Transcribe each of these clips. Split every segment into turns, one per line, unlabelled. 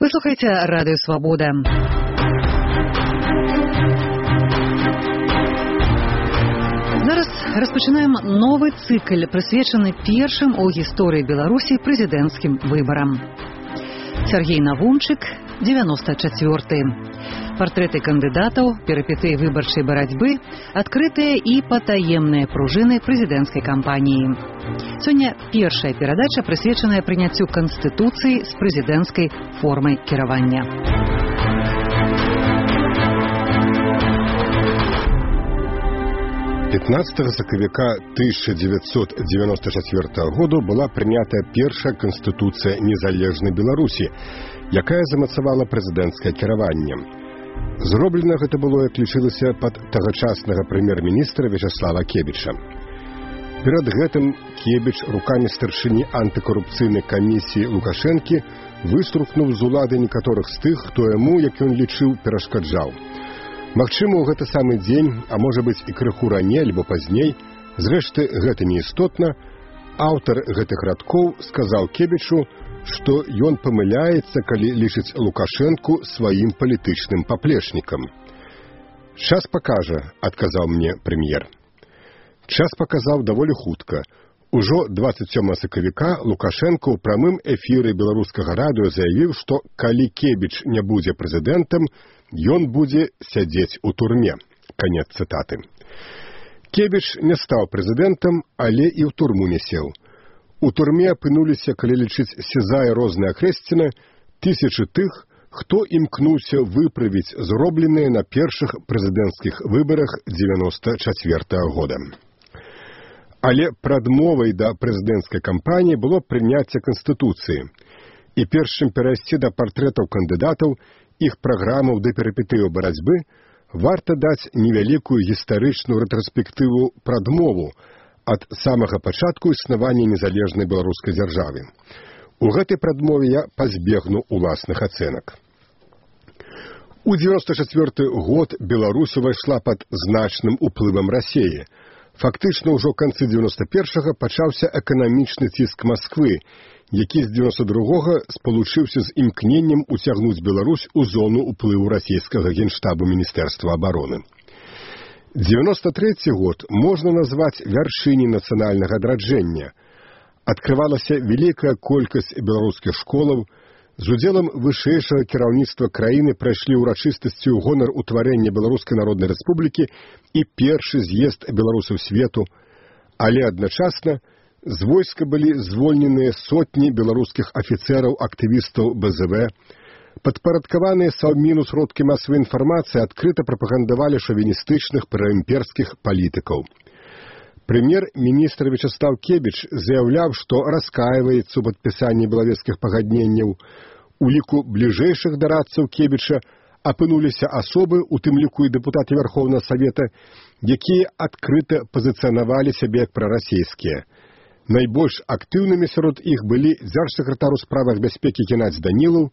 Вы слухаеце радыё Свабода. Зараз распачынаем новы цыкл, прысвечаны першым у гісторыі Беларусі прэзідэнцкім выбарам. Сергей Навумчык, 94-й. Партрэты кандыдатаў, перыпетыі выбарчай барацьбы, адкрытыя і патаемныя пружыны прэзідэнцкай кампаніі. Сёння першая перадача прысвечаная прыняццю Канстытуцыі з прэзідэнцкай формай кіравання.
сакавіка 1994 году была прынятая першая Канстытуцыя незалежнай Беларусі, якая замацавала прэзідэнцкае кіраванне. Зроблена гэта было, як лічылася, пад тагачаснага прэм'ер-міністра Вячаслава Кебіча. Перад гэтым Кебіч рукамі старшыні антыкарупцыйнай камісіі Лукашэнкі выструхнуў з улады некаторых з тых, хто яму, як ён лічыў, перашкаджаў. Магчыма, у гэты самы дзень, а можа быць і крыху раней альбо пазней, зрэшты, гэта не істотна, аўтар гэтых радкоў сказаў Кебічу, што ён памыляецца, калі лічыць Лукашэнку сваім палітычным паплечнікам. «Час пакажа», — адказаў мне прэм'ер. Час паказаў даволі хутка. Ужо 27 сакавіка Лукашэнка ў прамым эфіры беларускага радыё заявіў, што калі Кебіч не будзе прэзідэнтам, ён будзе сядзець у турме. Канец цытаты. Кебіч не стаў прэзідэнтам, але і ў турму не сеў. У турме апынуліся, калі лічыць сізая розная хрэсціна, тысячы тых, хто імкнуўся выправіць зробленыя на першых прэзідэнцкіх выбарах 94 года. Але прадмовай да прэзідэнцкай кампаніі было прыняцце Канстытуцыі. І перш чым перайсці да партрэтаў кандыдатаў, іх праграмаў да перыпетыяў барацьбы, варта даць невялікую гістарычную рэтраспектыву прадмову ад самага пачатку існавання незалежнай беларускай дзяржавы. У гэтай прадмове я пазбегну уласных ацэнак. У 94 год Беларусь увайшла пад значным уплывам Расіі. Фактычна ўжо ў канцы 91-га пачаўся эканамічны ціск Масквы, які з 92-го спалучыўся з імкненнем уцягнуць Беларусь у зону ўплыву расійскага генштабу Міністэрства абароны. 93 год можна назваць вяршыняй нацыянальнага адраджэння. Адкрывалася вялікая колькасць беларускіх школаў, з удзелам вышэйшага кіраўніцтва краіны прайшлі ўрачыстасці ў гонар утварэння Беларускай Народнай Рэспублікі і першы з'езд беларусаў свету, але адначасна з войска былі звольненыя сотні беларускіх афіцэраў, актывістаў БЗВ, падпарадкаваныя Саўміну сродкі масавай інфармацыі адкрыта прапагандавалі шавіністычных праімперскіх палітыкаў. Прэм'ер-міністр Вячаслав Кебіч заяўляў, што раскаиваецца ў падпісанні белавежскіх пагадненняў. У ліку бліжэйшых дарадцаў Кебіча апынуліся асобы, у тым ліку і дэпутаты Верховнага Савета, якія адкрыта пазіцыянавалі сябе як прарасійскія. Найбольш актыўнымі сярод іх былі дзяржсакратар у справах бяспекі Геннадзь Данілаў,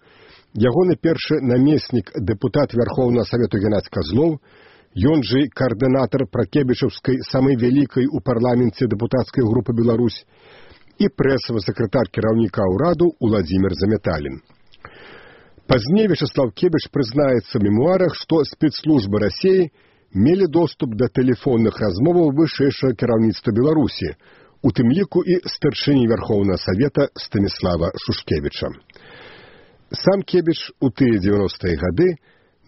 ягоны першы намеснік дэпутат Верховнага Савету Геннадзь Казлоў, ён жа каардынатар пракебічаўскай самай вялікай у парламенце дэпутацкай групы «Беларусь» і прэсавы сакратар кіраўніка ўраду Уладзімір Заметалін. Пазней Вячаслав Кебіч прызнаецца ў мемуарах, што спецслужбы Расіі мелі доступ да тэлефонных размоваў вышэйшага кіраўніцтва Беларусі, у тым ліку і старшыні Верховнага Савета Станіслава Шушкевіча. Сам Кебіч у тыя 90-е гады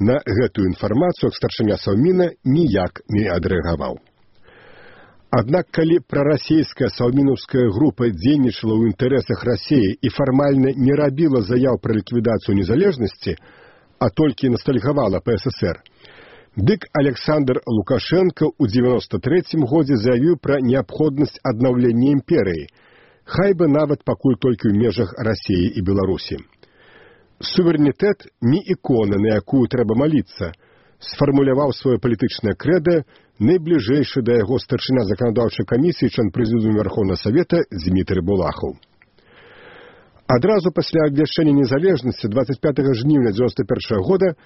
на гэтую інфармацыю старшыня Саўміна ніяк не адрэагаваў. Аднак, калі прарасійская саўмінаўская група дзейнічала ў інтарэсах Расіі і фармальна не рабіла заяў пра ліквідацыю незалежнасці, а толькі настальгавала па СССР, дык Александр Лукашенко ў 93-м годзе заявіў пра неабходнасць аднаўлення імперыі, хай бы нават пакуль толькі ў межах Расіі і Беларусі. Суверэнітэт не ікона, на якую трэба маліцца, сфармуляваў сваё палітычнае крэда найбліжэйшы да яго старшыня заканадаўчай камісіі член прэзідыума Верховнага Савета Дзмітрый Булахаў. Адразу пасля абвяшчэння незалежнасці 25 жніўня 91 года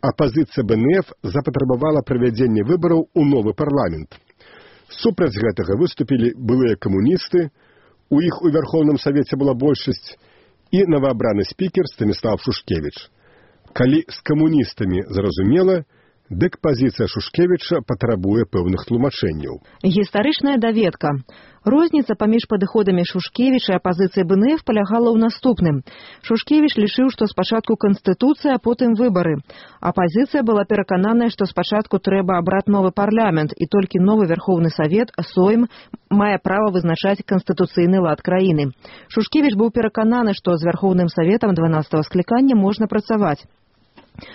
апазіцыя БНФ запатрабавала правядзення выбараў у новы парламент. Супраць гэтага выступілі былыя камуністы, у іх у Верховным Савеце была большасць, і новаабраны спікер Станіслав Шушкевіч. Калі з камуністамі зразумела, дык пазіцыя Шушкевіча патрабуе пэўных тлумачэнняў.
Гістарычная даведка. Розніца паміж падыходамі Шушкевіча і апазіцыі БНФ палягала ў наступным. Шушкевіч лічыў, што спачатку канстытуцыя, а потым выбары. Апазіцыя была перакананая, што спачатку трэба абраць новы парламент, і толькі новы Верховны Савет, Сойм, мае права вызначаць канстытуцыйны лад краіны. Шушкевіч быў перакананы, што з Верховным Саветам 12-го склікання можна працаваць.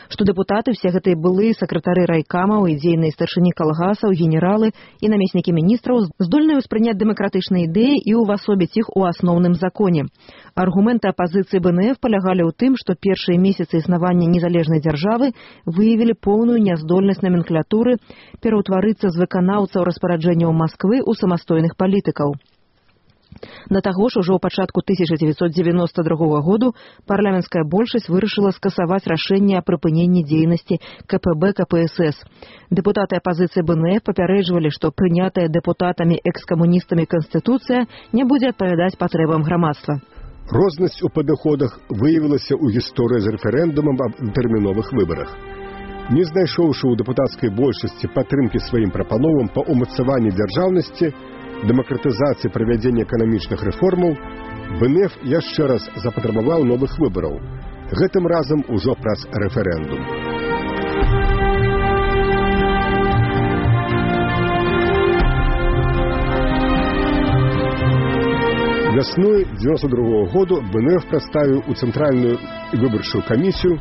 Што дэпутаты, все гэтыя былыя сакратары райкамаў і дзейныя старшыні калгасаў, генералы і намеснікі міністраў здольныя ўспрыняць дэмакратычныя ідэі і увасобіць іх у асноўным законе. Аргументы апазіцыі БНФ палягалі ў тым, што першыя месяцы існавання незалежнай дзяржавы выявілі поўную няздольнасць наменклатуры пераўтварыцца з выканаўцаў распараджэнняў Масквы ў самастойных палітыкаў. Да таго ж, ужо ў пачатку 1992 году парламенцкая большасць вырашыла скасаваць рашэнне аб прыпыненні дзейнасці КПБ КПСС. Дэпутаты апазіцыі БНФ папярэджвалі, што прынятая дэпутатамі экскамуністамі Канстытуцыя не будзе адпавядаць патрэбам грамадства.
Рознасць у падыходах выявілася ў гісторыі з рэферэндумам аб тэрміновых выбарах. Не знайшоўшы ў дэпутацкай большасці падтрымкі сваім прапановам па ўмацаванні дзяржаўнасці, дэмакратызацыі правядзення эканамічных рэформаў, БНФ яшчэ раз запатрабаваў новых выбараў, гэтым разам ужо праз рэферэндум. Вясной 1992 году БНФ прадставіў у Цэнтральную выбарчую камісію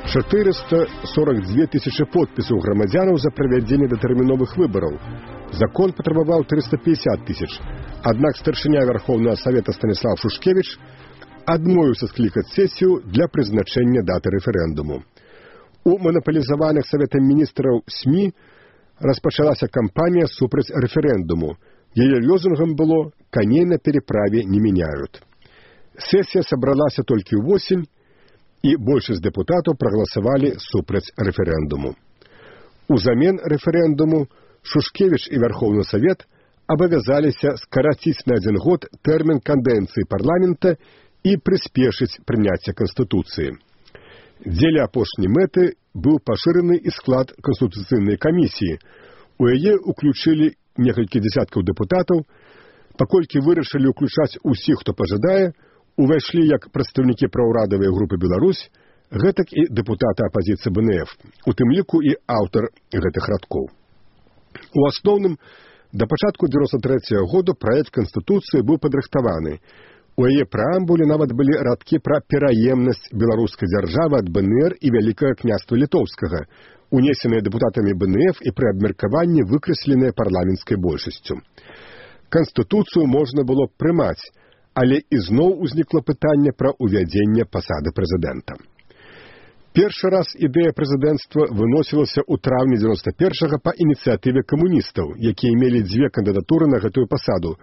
442 тысячы подпісаў грамадзянаў за правядзенне датэрміновых выбараў. Закон патрабаваў 350 тысяч. Аднак старшыня Верховнага Савета Станіслав Шушкевіч адмовіўся склікаць сесію для прызначэння даты рэферэндуму. У манапалізаваных Саветам міністраў СМІ распачалася кампанія супраць рэферэндуму. Яе лозунгам было «Коней на переправе не меняют». Сесія сабралася толькі ўвосень, і большасць дэпутатаў прагаласавалі супраць рэферэндуму. Узамен рэферэндуму Шушкевіч і Верховны Савет абавязаліся скараціць на 1 год тэрмін кадэнцыі парламента і прыспешыць прыняцце Канстытуцыі. Дзеля апошняй мэты быў пашыраны і склад Канстытуцыйнай камісіі. У яе ўключылі некалькі дзясяткаў дэпутатаў, паколькі вырашылі ўключаць усіх, хто пажадае, увайшлі як прадстаўнікі праўрадавай групы «Беларусь», гэтак і дэпутаты апазіцыі БНФ, у тым ліку і аўтар гэтых радкоў. У асноўным, да пачатку 1993 года праект Канстытуцыі быў падрыхтаваны. У яе прэамбуле нават былі радкі пра пераемнасць беларускай дзяржавы ад БНР і Вялікага княства Літоўскага, унесеныя дэпутатамі БНФ і пры абмеркаванні выкрэсленыя парламенцкай большасцю. Канстытуцыю можна было прымаць, але ізноў узнікла пытанне пра ўвядзенне пасады прэзідэнта. Першы раз ідэя прэзідэнцтва выносілася ў траўні 91-го па ініцыятыве камуністаў, якія мелі 2 кандыдатуры на гэтую пасаду.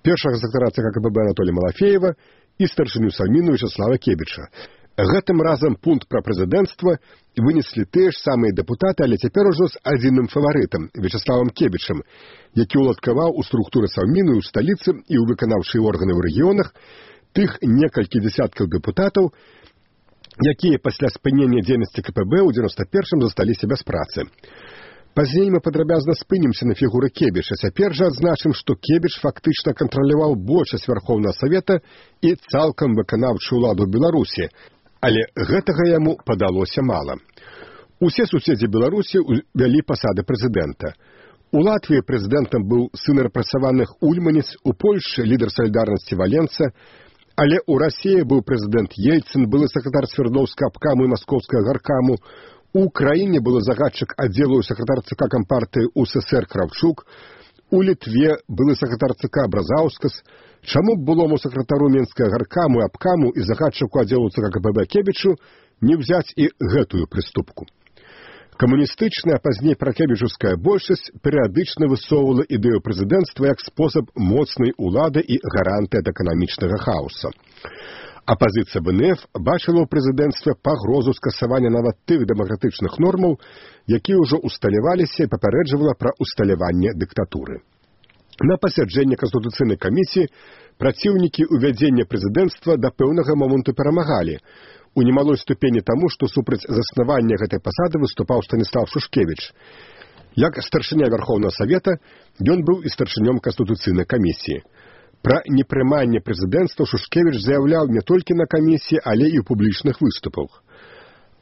Першага сакратара ЦК КПБ Анатолія Малафеева і старшыню Сальміну Вячеслава Кебіча. Гэтым разам пункт пра прэзідэнцтва вынеслі тыя ж самыя дэпутаты, але цяпер ужо з адзіным фаварытам, Вячеславам Кебічам, які ўладкаваў у структуры Сальміну ў сталіцы і ў выканаўчыя органы ў рэгіёнах тых некалькі дзясяткаў дэпутатаў, якія пасля спынення дзейнасці КПБ ў 91-м засталіся без працы. Пазней мы падрабязна спынімся на фігуры Кебіча. Цяпер жа адзначым, што Кебіч фактычна кантраляваў большасць Верховнага Савета і цалкам выканаўчую ўладу Беларусі, але гэтага яму падалося мала. Усе суседзі Беларусі ўвялі пасады прэзідэнта. У Латвіі прэзідэнтам быў сын рэпрэсаваных Ульманец, у Польшчы лідар салідарнасці Валенца, але ў Расіі быў прэзідэнт Ельцын, былы сакратар Свердлоўскага абкаму і Маскоўскага гаркаму, у Украіне былы загадчык аддзелу сакратар ЦК Кампартыі УССР Кравчук, у Літве былы сакратар ЦК Бразаўскас. Чаму б былому сакратару Менскага гаркаму і абкаму і загадчыку аддзелу ЦК КПБ Кебічу не ўзяць і гэтую прыступку? Камуністычная, а пазней пракебічаўская большасць перыядычна высоўвала ідэю прэзідэнцтва як спосаб моцнай улады і гарантыя ад эканамічнага хаоса. Апазіцыя БНФ бачыла ў прэзідэнцтве пагрозу скасавання нават тых дэмакратычных нормаў, якія ўжо усталяваліся і папярэджвала пра усталяванне дыктатуры. На пасяджэнні Канстытуцыйнай камісіі праціўнікі ўвядзення прэзідэнцтва да пэўнага моманту перамагалі. У немалой ступені таму, што супраць заснавання гэтай пасады выступаў Станіслав Шушкевіч. Як старшыня Вярхоўнага Савета, ён быў і старшынём Канстытуцыйнай камісіі. Пра непрыманне прэзідэнцтва Шушкевіч заяўляў не толькі на камісіі, але і ў публічных выступах.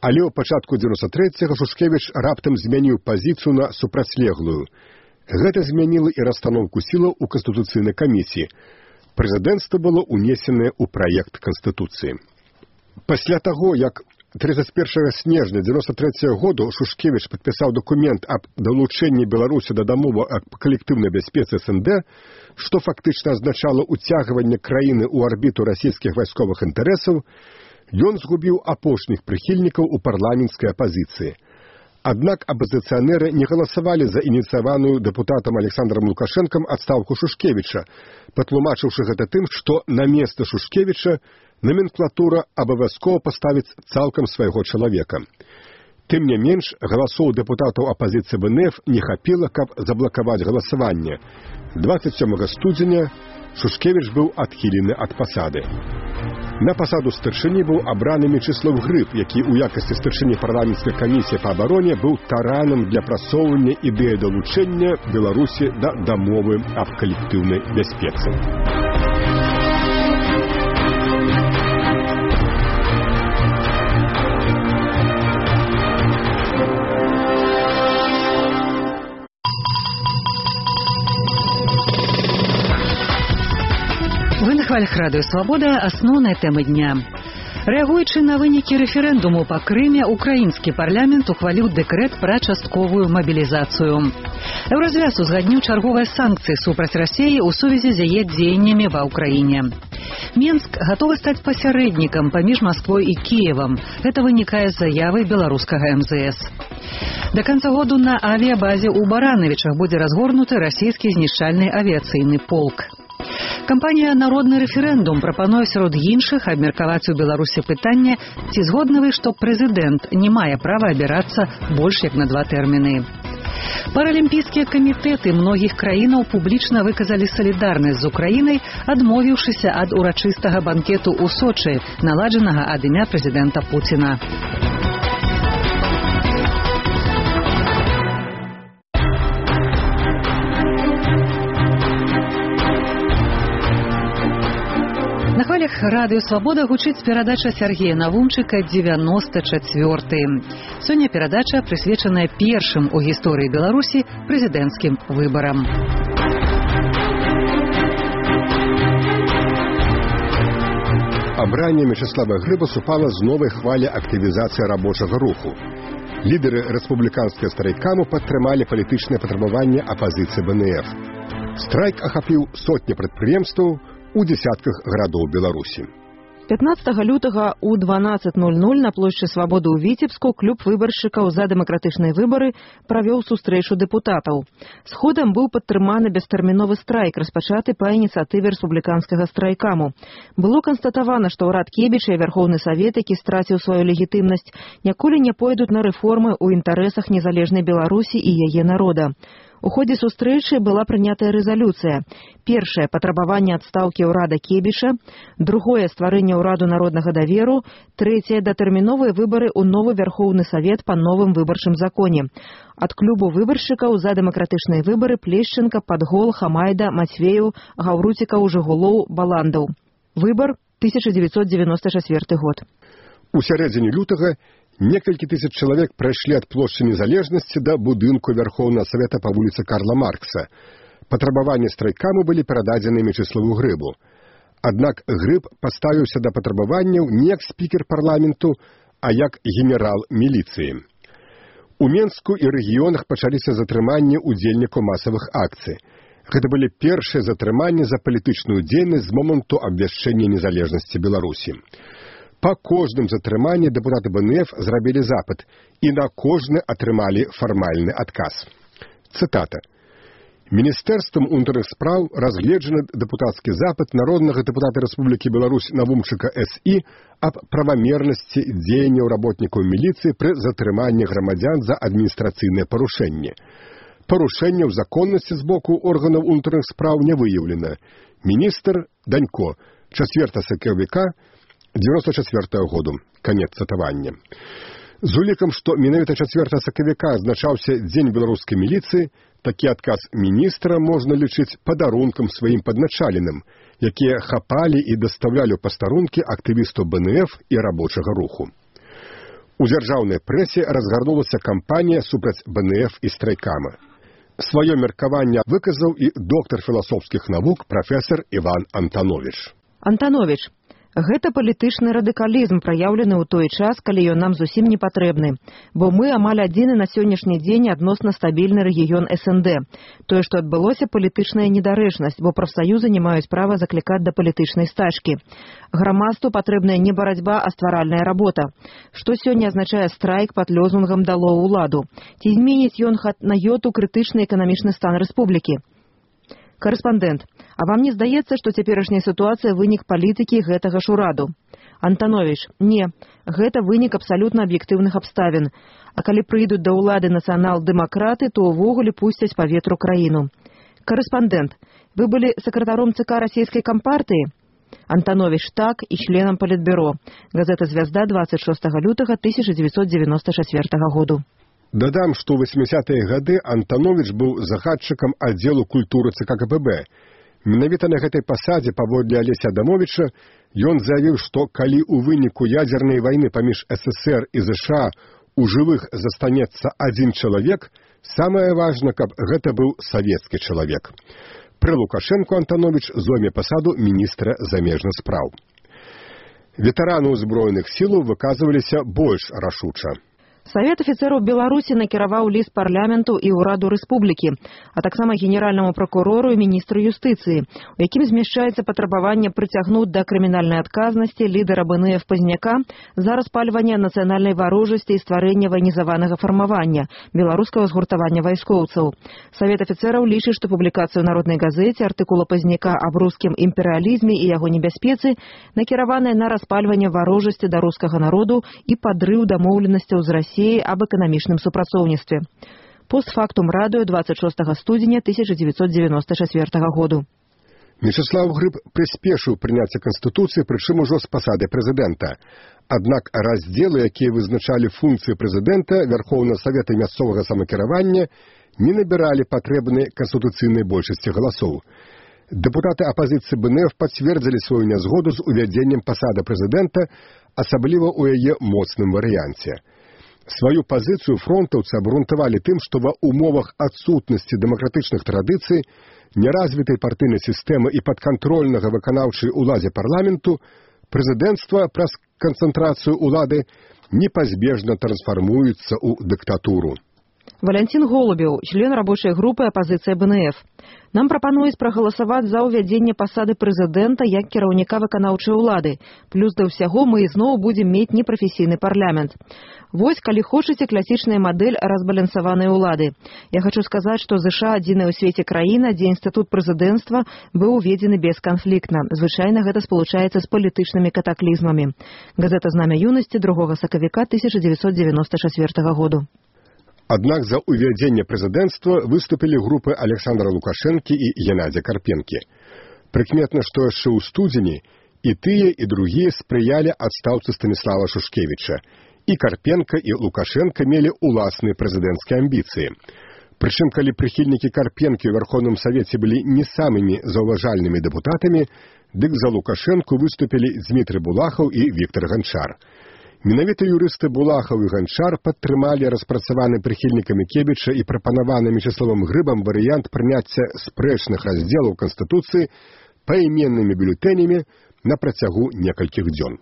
Але ў пачатку 93-го Шушкевіч раптам змяніў пазіцыю на супрацьлеглую. Гэта змяніла і расстаноўку сілаў у Канстытуцыйнай камісіі. Прэзідэнцтва было ўнесенае ў праект Канстытуцыі. Пасля таго, як 31 снежня 1993 году Шушкевіч падпісаў дакумент аб далучэнні Беларусі да дамовы аб калектыўнай бяспецы СНД, што фактычна азначала ўцягванне краіны ў арбіту расійскіх вайсковых інтарэсаў, ён згубіў апошніх прыхільнікаў у парламенцкай апазіцыі. Аднак апазіцыянеры не галасавалі за ініцыяваную дэпутатам Александрам Лукашэнкам адстаўку Шушкевіча, патлумачыўшы гэта тым, што на месца Шушкевіча номенклатура абавязкова паставіць цалкам свайго чалавека. Тым не менш, галасоў дэпутатаў апазіцыі БНФ не хапіла, каб заблакаваць галасаванне. 27 студзеня Шушкевіч быў адхілены ад пасады. На пасаду старшыні быў абраны Мечыслав Грыб, які ў якасці старшыні парламенцкай камісіі па абароне быў таранам для прасоўвання ідэі далучэння Беларусі да дамовы аб калектыўнай бяспецы.
Вы на хвалях радыё «Свабода» асноўныя тэмы дня. Рэагуючы на вынікі рэферэндуму па Крыме, украінскі парламент ухваліў дэкрэт пра частковую мабілізацыю. Еўразвяз узгадніў чарговыя санкцыі супраць Расіі ў сувязі з яе дзеяннямі ва ўкраіне. Мінск гатовы стаць пасярэднікам паміж Масквой і Кіевам. Гэта вынікае з заявы беларускага МЗС. Да канца году на авіябазе ў Баранавічах будзе разгорнуты расійскі знішчальны авіяцыйны полк. Кампанія «Народны рэферэндум» прапануе сярод іншых абмеркаваць у Беларусі пытанне, ці згодны вы, што прэзідэнт не мае права абірацца больш як на 2 тэрміны. Паралімпійскія камітэты многіх краінаў публічна выказалі салідарнасць з Украінай, адмовіўшыся ад урачыстага банкету ў Сочы, наладжанага ад імя прэзідэнта Пуціна. На хвалях радыё «Свабода» гучыць перадача Сергея Навумчыка «94». Сёння перадача прысвечаная першым у гісторыі Беларусі прэзідэнцкім выбарам.
Абранне Мечыслава Грыба супала з новай хвалі актывізацыі рабочага руху. Лідары рэспубліканскага страйкаму падтрымалі палітычнае патрабаванне апазіцыі БНФ. Страйк ахапіў сотні прадпрыемстваў у дзесятках гарадоў Беларусі.
15 лютага у 12:00 на плошчы Свабоды ў Віцебску клуб выбаршчыкаў за дэмакратычныя выбары правёў сустрэчу дэпутатаў. Сходам быў падтрыманы бестэрміновы страйк, распачаты па ініцыятыве рэспубліканскага страйкаму. Было канстатавана, што ўрад Кебіча і Вярхоўны Савет, які страціў сваю легітымнасць, ніколі не пойдуць на рэформы ў інтарэсах незалежнай Беларусі і яе народа. У ходзе сустрэчы была прынятая рэзалюцыя. Першае – патрабаванне адстаўкі ўрада Кебіша, другое – стварэнне ўраду народнага даверу, трэцяе – датэрміновыя выбары ў новы Вярхоўны Савет па новым выбарчым законе. Ад клубу выбаршчыкаў за дэмакратычныя выбары Плешченка, Падгол, Хамайда, Мацвею, Гаўруцікаў, Жыгулоў, Баландаў. Выбар 1994 год.
У сярэдзіне лютага некалькі тысяч чалавек прайшлі ад плошчы Незалежнасці да будынку Вярхоўнага Савета па вуліцы Карла Маркса. Патрабаванні страйкаму былі перададзены Мечыславу Грыбу. Аднак Грыб паставіўся да патрабаванняў не як спікер парламенту, а як генерал міліцыі. У Менску і рэгіёнах пачаліся затрыманні ўдзельнікаў масавых акцый. Гэта былі першыя затрыманні за палітычную дзейнасць з моманту абвяшчэння незалежнасці Беларусі. Па кожным затрыманні дэпутаты БНФ зрабілі запыт, і на кожны атрымалі фармальны адказ. Цытата. Міністэрствам унутраных спраў разгледжаны дэпутацкі запыт народнага дэпутата Рэспублікі Беларусь Навумчыка С.І. аб правамернасці дзеянняў работнікаў міліцыі пры затрыманні грамадзян за адміністрацыйныя парушэнні. Парушэнняў законнасці з боку органаў унутраных спраў не выяўлена. Міністр Данько, 4 сакавіка 94 году. Канец цытавання. З улікам, што менавіта 4 сакавіка азначаўся Дзень беларускай міліцыі, такі адказ міністра можна лічыць падарункам сваім падначаленым, якія хапалі і дастаўлялі ў пастарункі актывістаў БНФ і рабочага руху. У дзяржаўнай прэсе разгарнулася кампанія супраць БНФ і страйкама. Сваё меркаванне выказаў і доктар філасофскіх навук прафесар Іван Антановіч.
Антановіч, гэта палітычны радыкалізм, праяўлены ў той час, калі ён нам зусім не патрэбны. Бо мы амаль адзіны на сённяшні дзень адносна стабільны рэгіён СНД. Тое, што адбылося, палітычная недарэчнасць, бо прафсаюзы не маюць права заклікаць да палітычнай стачкі. Грамадству патрэбная не барацьба, а стваральная работа. Што сёння азначае страйк пад лозунгам «Дало ўладу»? Ці зменіць ён на йоту крытычны эканамічны стан рэспублікі? Карэспандэнт, а вам не здаецца, што цяперашняя сітуацыя вынік палітыкі гэтага ж ураду? Антановіч, не, гэта вынік абсалютна аб'ектыўных абставін. А калі прыйдуць да ўлады нацыянал-дэмакраты, то ўвогуле пусцяць па ветру краіну. Карэспандэнт, вы былі сакратаром ЦК расійскай кампартыі? Антановіч, так, і членам палітбюро. Газета «Звязда» 26 лютага 1994 году.
Дадам, што ў 80-е гады Антановіч быў загадчыкам аддзелу культуры ЦК КПБ. Менавіта на гэтай пасадзе, паводле Алеся Адамовіча, ён заявіў, што калі ў выніку ядзернай вайны паміж СССР і ЗША у жывых застанецца адзін чалавек, самае важна, каб гэта быў савецкі чалавек. Пры Лукашэнку Антановіч зойме пасаду міністра замежных спраў. Ветэраны ўзброеных сілаў выказваліся больш рашуча.
Савет афіцэраў Беларусі накіраваў ліст парламенту і ўраду рэспублікі, а таксама генеральнаму пракурору і міністру юстыцыі, у якім змяшчаецца патрабаванне прыцягнуць да крымінальнай адказнасці лідара БНФ Пазняка за распальванне нацыянальнай варожасці і стварэння ваенізаванага фармавання, беларускага згуртавання вайскоўцаў. Савет афіцэраў лічыць, што публікацыю ў народнай газеце артыкула Пазняка аб рускім імперыялізме і яго небяспецы накіраваная на распальванне варожасці да рускага народу і падрыў дамоўленасцяў з Расіі об эканамічным супрацоўніцтве. Постфактум радыё 26 студзеня 1994 году.
Мечыслаў Грыб прыспешыў прыняцце Канстытуцыі, прычым ужо з пасады прэзідэнта. Аднак раздзелы, якія вызначалі функцыі прэзідэнта, Вярхоўнага Савета і мясцовага самакіравання, не набіралі патрэбнай канстытуцыйнай большасці галасоў. Дэпутаты апазіцыі БНФ пацвердзілі сваю нязгоду з увядзеннем пасады прэзідэнта, асабліва ў яе моцным варыянце. Сваю пазіцыю фронтаўцы абгрунтавалі тым, што ва ўмовах адсутнасці дэмакратычных традыцый, неразвітай партыйнай сістэмы і падкантрольнага выканаўчай уладзе парламенту, прэзідэнцтва праз канцэнтрацыю ўлады непазбежна трансфармуецца ў дыктатуру.
Валянцін Голубеў, член рабочай групы апазіцыя БНФ. Нам прапануюць прагаласаваць за ўвядзенне пасады прэзідэнта як кіраўніка выканаўчай улады. Плюс да ўсяго мы ізноў будзем мець непрафесійны парламент. Вось, калі хочаце, класічная мадэль разбалансаванай улады. Я хочу сказаць, што ЗША адзіная ў свеце краіна, дзе інстытут прэзідэнцтва быў уведзены бесканфліктна. Звычайна гэта спалучаецца з палітычнымі катаклізмамі. Газета «Знамя юнасці» 2 сакавіка 1994 году.
Аднак за ўвядзенне прэзідэнцтва выступілі групы Александра Лукашэнкі і Геннадзя Карпенкі. Прыкметна, што яшчэ ў студзені і тыя, і другія спрыялі адстаўцы Станіслава Шушкевіча. І Карпенка, і Лукашенка мелі ўласныя прэзідэнцкія амбіцыі. Прычым, калі прыхільнікі Карпенкі ў Вярхоўным Савеце былі не самымі заўважальнымі дэпутатамі, дык за Лукашэнку выступілі Дзмітрый Булахаў і Віктор Ганчар. Менавіта юрысты Булахаў і Ганчар падтрымалі распрацаваны прыхільнікамі Кебіча і прапанаваны Мечыславам Грыбам варыянт прыняцця спрэчных раздзелаў Канстытуцыі паіменнымі бюлетэнямі на працягу некалькіх дзён.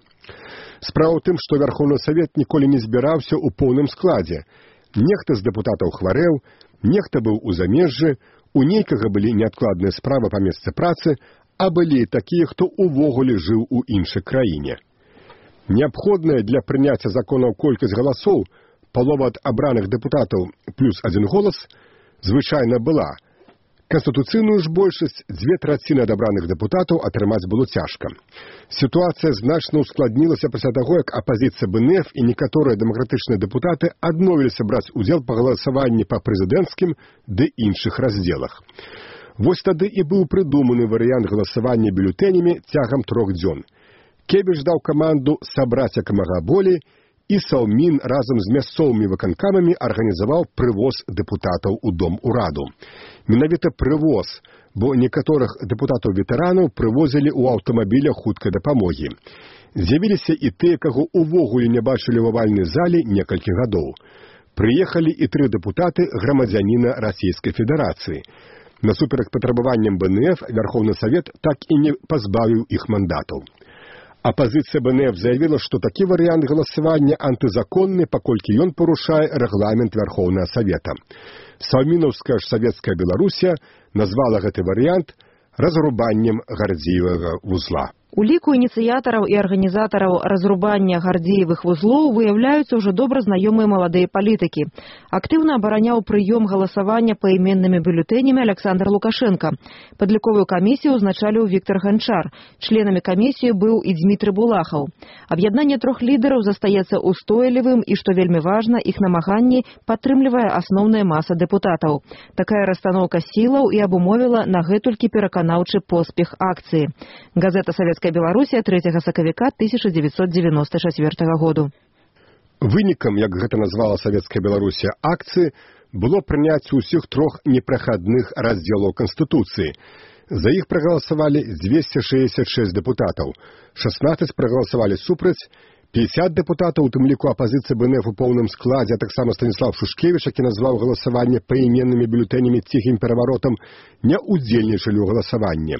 Справа ў тым, што Вярхоўны Савет ніколі не збіраўся ў поўным складзе. Нехта з дэпутатаў хварэў, нехта быў у замежжы, у нейкага былі неадкладныя справы па месцы працы, а былі такія, хто ўвогуле жыў у іншай краіне. Неабходная для прыняцця законаў колькасць галасоў, палова ад абраных дэпутатаў плюс адзін голас, звычайна была. Канстытуцыйную ж большасць 2/3 адабраных дэпутатаў атрымаць было цяжка. Сітуацыя значна ускладнілася пасля таго, як апазіцыя БНФ і некаторыя дэмакратычныя дэпутаты адмовіліся браць удзел па галасаванні па прэзідэнцкім ды іншых раздзелах. Вось тады і быў прыдуманы варыянт галасавання бюлетэнямі цягам 3 дзён. Кебіш даў каманду сабраць як мага болей, і Саўмін разам з мясцовымі выканкамамі арганізаваў прывоз дэпутатаў у Дом ураду. Менавіта прывоз, бо некаторых дэпутатаў-ветэранаў прывозілі ў аўтамабілях хуткай дапамогі. З'явіліся і тыя, каго ўвогуле не бачылі ў авальнай залі некалькі гадоў. Прыехалі і 3 дэпутаты грамадзяніна Расійскай Федэрацыі. Насуперак патрабаванням БНФ Вярхоўны Савет так і не пазбавіў іх мандатаў. Апазіцыя БНФ заявіла, што такі варыянт галасавання антызаконны, паколькі ён парушае рэгламент Вярхоўнага Савета. Саўмінаўская ж савецкая Беларусія назвала гэты варыянт разрубаннем Гардзіевага вузла.
У ліку ініцыятараў і арганізатараў разрубання Гардзіевых вузлоў выяўляюцца ўжо добра знаёмыя маладыя палітыкі. Актыўна абараняў прыём галасавання паіменнымі бюлетэнямі Александр Лукашенко. Падліковую камісію ўзначаліў Віктор Ганчар. Членамі камісіі быў і Дзмітрый Булахаў. Аб'яднанне 3 лідараў застаецца устойлівым і, што вельмі важна, іх намаганні падтрымлівае асноўная маса дэпутатаў. Такая расстаноўка сілаў і абумовіла на гэтулькі пераканаўчы поспех акцыі. Газета «Савецкая Беларусія» 3 сакавіка 1994 году.
Вынікам, як гэта назвала Савецкая Беларусія, акцыі было прыняцце ўсіх 3 непрахадных раздзелаў Канстытуцыі. За іх прагаласавалі 266 дэпутатаў, 16 прагаласавалі супраць, 50 дэпутатаў, у тым ліку апазіцыі БНФ у поўным складзе, а таксама Станіслав Шушкевіч, які назваў галасаванне паіменнымі бюлетэнямі ціхім пераваротам, не ўдзельнічалі ў галасаванні.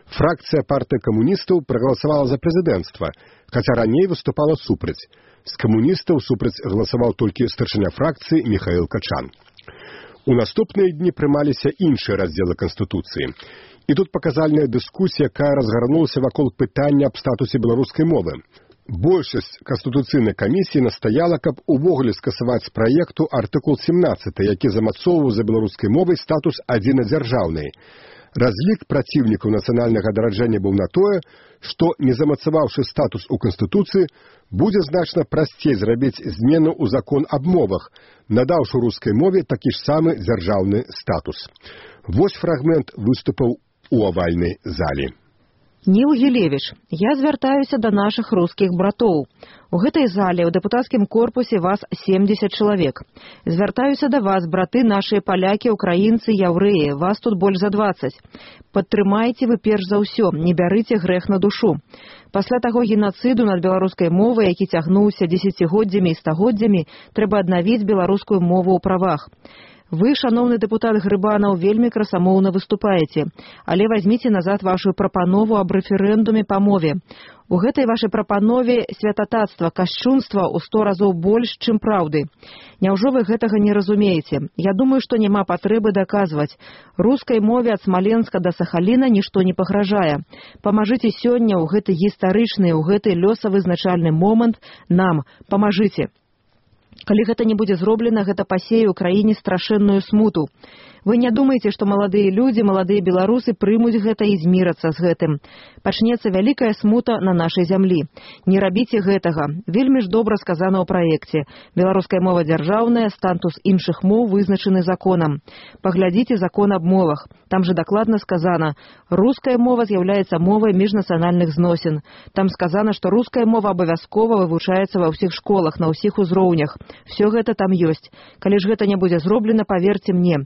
Фракцыя партыі камуністаў прагаласавала за прэзідэнцтва, хаця раней выступала супраць. З камуністаў супраць галасаваў толькі старшыня фракцыі Міхаіл Качан. У наступныя дні прымаліся іншыя раздзелы Канстытуцыі. І тут паказальная дыскусія, якая разгарнулася вакол пытання аб статусе беларускай мовы. Большасць Канстытуцыйнай камісіі настаяла, каб увогуле скасаваць з праекту артыкул 17, які замацоўваў за беларускай мовай статус адзінадзяржаўнай. Разлік праціўнікаў нацыянальнага адраджэння быў на тое, што, не замацаваўшы статус у Канстытуцыі, будзе значна прасцей зрабіць змену ў закон аб мовах, надаўшы рускай мове такі ж самы дзяржаўны статус. Вось фрагмент выступаў у авальнай залі.
Ніл Гілевіч, я звяртаюся да нашых рускіх братоў. У гэтай зале ў дэпутацкім корпусе вас 70 чалавек. Звяртаюся да вас, браты нашыя палякі, украінцы, яўрэі, вас тут больш за 20. Падтрымайце вы перш за ўсё, не бярыце грэх на душу. Пасля таго генацыду над беларускай мовай, які цягнуўся дзесяцігоддзямі і стагоддзямі, трэба аднавіць беларускую мову ў правах. Вы, шаноўны дэпутат Грыбанаў, вельмі красамоўна выступаеце, але вазьміце назад вашу прапанову аб рэферэндуме па мове. У гэтай вашай прапанове святататства, кашчунства ў 100 разоў больш, чым праўды. Няўжо вы гэтага не разумееце? Я думаю, што няма патрэбы даказваць. Рускай мове ад Смаленска да Сахаліна нішто не пагражае. Памажыце сёння ў гэты гістарычны, ў гэты лёсавызначальны момант нам. Памажыце. Калі гэта не будзе зроблена, гэта пасее ў краіне страшэнную смуту. Вы не думаеце, што маладыя людзі, маладыя беларусы прымуць гэта і змірацца з гэтым. Пачнецца вялікая смута на нашай зямлі. Не рабіце гэтага. Вельмі ж добра сказана ў праекце. Беларуская мова дзяржаўная, статус іншых моў вызначаны законам. Паглядзіце закон аб мовах. Там же дакладна сказана, руская мова з'яўляецца мовай міжнацыянальных зносін. Там сказана, што руская мова абавязкова вывучаецца ва ўсіх школах, на ўсіх узроўнях. Всё гэта там ёсць. Калі ж гэта не будзе зроблена, паверце мне.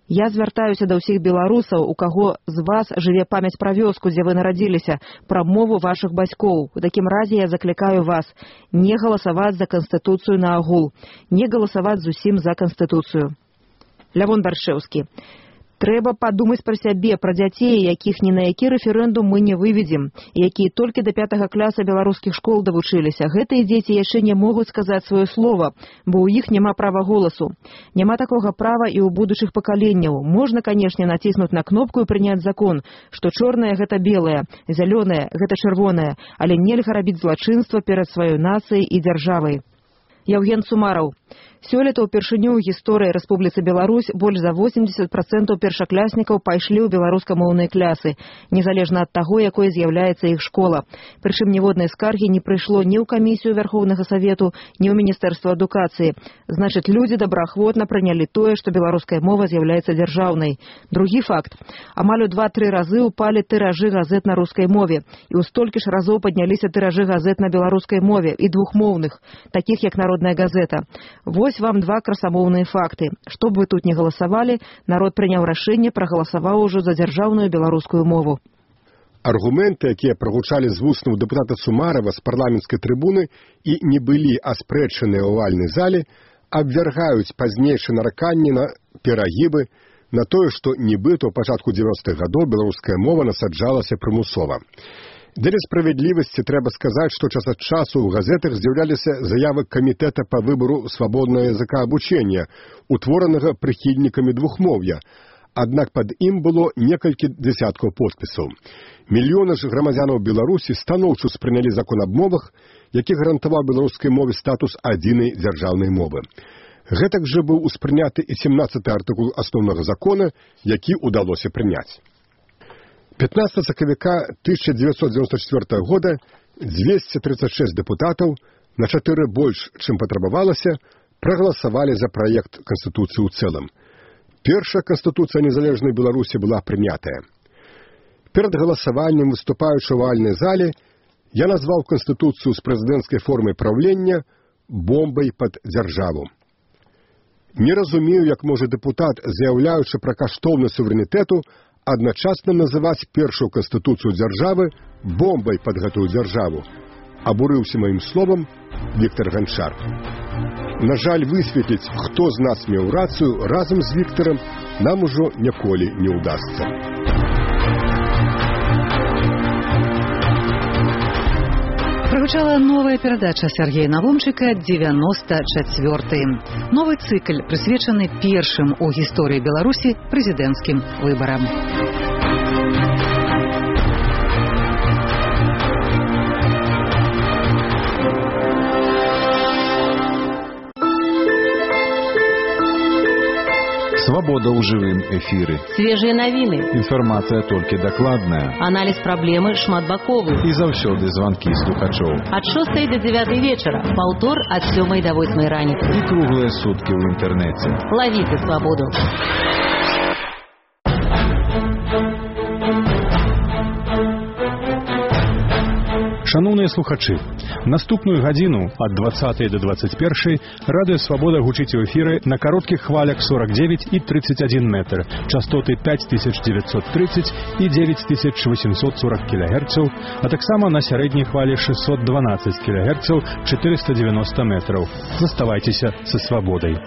Я звяртаюся да ўсіх беларусаў, у каго з вас жыве памяць пра вёску, дзе вы нарадзіліся, пра мову вашых бацькоў. У такім разе я заклікаю вас не галасаваць за Канстытуцыю на агул, не галасаваць зусім за Канстытуцыю. Лявон Баршэўскі. Трэба падумаць пра сябе, пра дзяцей, якіх ні на які рэферэндум мы не выведзем, якія толькі да 5 класа беларускіх школ давучыліся. Гэтыя дзеці яшчэ не могуць сказаць сваё слова, бо ў іх няма права голасу. Няма такога права і ў будучых пакаленняў. Можна, канешне, націснуць на кнопку і прыняць закон, што чорнае гэта белае, зялёнае гэта чырвонае, але нельга рабіць злачынства перад сваёй нацыяй і дзяржавай. Яўген Сумараў. Сёлета ўпершыню ў гісторыі Рэспубліцы Беларусь больш за 80% першакляснікаў пайшлі ў беларускамоўныя клясы, незалежна ад таго, якой з'яўляецца іх школа. Прычым ніводнай скаргі не прыйшло ні ў камісію Вярхоўнага Савету, ні ў Міністэрства адукацыі. Значыць, людзі добраахвотна прынялі тое, што беларуская мова з'яўляецца дзяржаўнай. Другі факт. Амаль у 2-3 разы ўпалі тыражы газет на рускай мове, і ў столькі ж разоў падняліся тыражы газет на беларускай мове і двухмоўных, такіх як Народная газета. Вось вам 2 красамоўныя факты. Што б вы тут не галасавалі, народ прыняў рашэнне, прагаласаваў ужо за дзяржаўную беларускую мову.
Аргументы, якія прагучалі з вуснаў дэпутата Сумарова з парламенцкай трыбуны і не былі аспрэчаныя ў авальнай зале, абвяргаюць пазнейшыя нараканні на перагібы, на тое, што нібыта ў пачатку 90-х гадоў беларуская мова насаджалася прымусова. Для справядлівасці трэба сказаць, што час ад часу ў газетах з'яўляліся заявы камітэта па выбару свабоднага языка абучэння, утворанага прыхільнікамі двухмоўя. Аднак пад ім было некалькі дзясяткаў подпісаў. Мільёны ж грамадзянаў Беларусі станоўча спрынялі закон аб мовах, які гарантаваў беларускай мове статус адзінай дзяржаўнай мовы. Гэтак жа быў успрыняты і 17-й артыкул асноўнага закона, які ўдалося прыняць. 15 сакавіка 1994 года 236 дэпутатаў, на 4 больш, чым патрабавалася, прагаласавалі за праект Канстытуцыі ў цэлым. Першая Канстытуцыя незалежнай Беларусі была прынятая. Перад галасаваннем, выступаючы ў авальнай зале, я назваў Канстытуцыю з прэзідэнцкай формай праўлення бомбай пад дзяржаву. Не разумею, як можа дэпутат, заяўляючы пра каштоўнасць суверэнітэту, адначасна называць першую Канстытуцыю дзяржавы бомбай пад гэтую дзяржаву. Абурыўся маім словам Віктор Ганчар. На жаль, высветліць, хто з нас меў рацыю разам з Віктарам, нам ужо ніколі не ўдасца.
Прогучала новая перадача Сергея Навумчыка «94». Новы цыкль, прысвечаны першым у гісторыі Беларусі прэзідэнцкім выбарам.
Свобода ў жывым эфіры.
Свежыя навіны.
Інфармацыя толькі дакладная.
Аналіз праблемы шматбаковы.
І заўсёды званкі слухачоў.
Ад 6 до 9 вечара. Паўтор ад 7 до 8 раніцы.
І круглыя суткі ў інтэрнэце.
Лавіце свабоду.
Шановныя слухачы, наступную гадзіну ад 20 до 21 радыё «Свабода» гучыць у эфіры на кароткіх хвалях 49 і 31 метр, частоты 5930 і 9840 кГц, а таксама на сярэдняй хвалі 612 кГц, 490 метраў. Заставайцеся са «Свабодай».